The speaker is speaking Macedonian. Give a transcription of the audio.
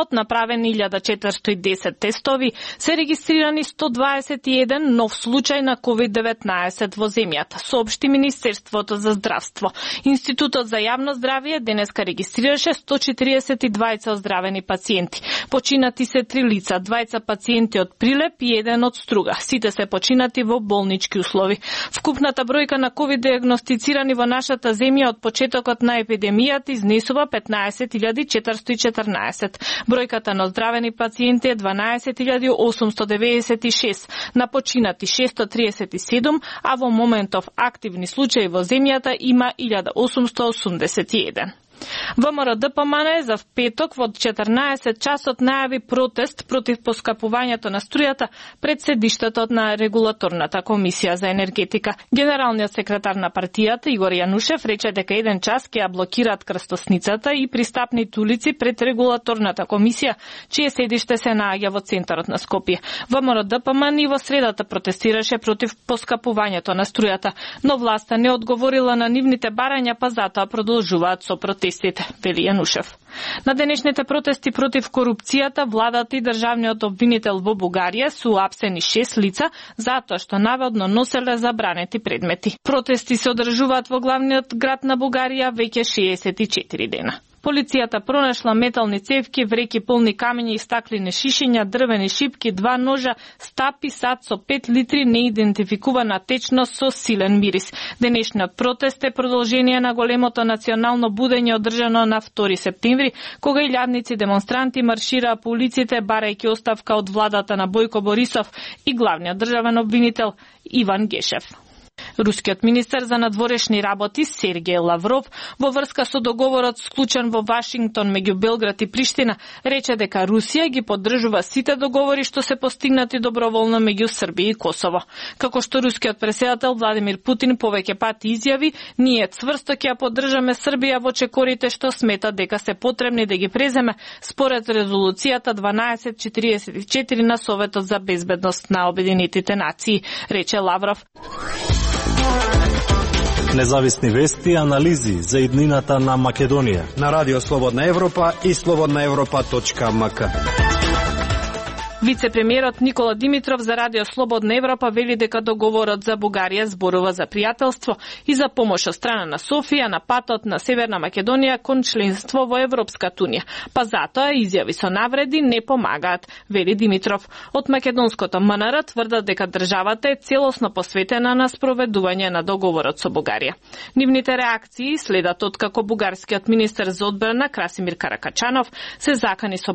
од направени 1410 тестови, се регистрирани 121 нов случај на COVID-19 во земјата, соопшти Министерството за здравство. Институтот за јавно здравје денеска регистрираше 142 оздравени пациенти. Починати се 3 лица, 2 пациенти од Прилеп и 1 од Струга. Сите се починати во болнички услови. Вкупната бројка на COVID диагностицирани во нашата земја од почетокот на епидемијата изнесува 15.414. Бројката на оздравени пациенти е 12.896, на починати 637, а во моментов активни случаи во земјата има 1881. ВМРО ДПМН за петок во 14 часот најави протест против поскапувањето на струјата пред седиштето на Регулаторната комисија за енергетика. Генералниот секретар на партијата Игор Јанушев рече дека 1 час ќе ја блокираат крстосницата и пристапните улици пред Регулаторната комисија, чие седиште се наоѓа во центарот на Скопје. ВМРО ДПМН и во средата протестираше против поскапувањето на струјата, но власта не одговорила на нивните барања, па затоа продолжуваат со протестите, вели Јанушев. На денешните протести против корупцијата, владата и државниот обвинител во Бугарија су апсени 6 лица затоа што наводно носеле забранети предмети. Протести се одржуваат во главниот град на Бугарија веќе 64 дена. Полицијата пронашла метални цевки, вреки полни камења и стаклени шишиња, дрвени шипки, 2 ножа, стапи, сад со 5 литри неидентификувана течност со силен мирис. Денешниот протест е продолжение на големото национално будење одржано на 2 септември, кога илјадници демонстранти маршираа по улиците барајќи оставка од владата на Бојко Борисов и главниот државен обвинител Иван Гешев. Рускиот министер за надворешни работи Сергеј Лавров во врска со договорот склучен во Вашингтон меѓу Белград и Приштина рече дека Русија ги поддржува сите договори што се постигнати доброволно меѓу Србија и Косово. Како што рускиот претседател Владимир Путин повеќе пати изјави, ние цврсто ќе ја поддржаме Србија во чекорите што смета дека се потребни да ги преземе според резолуцијата 1244 на Советот за безбедност на Обединетите нации, рече Лавров. Независни вести и анализи за иднината на Македонија на Радио Слободна Европа и slobodnaevropa.mk. Вице-премиерот Никола Димитров за Радио Слободна Европа вели дека договорот за Бугарија зборува за пријателство и за помош од страна на Софија на патот на Северна Македонија кон членство во Европската унија. Па затоа изјави со навреди не помагаат, вели Димитров. Од македонското МНР тврдат дека државата е целосно посветена на спроведување на договорот со Бугарија. Нивните реакции следат откако бугарскиот министер за одбрана Красимир Каракачанов се закани со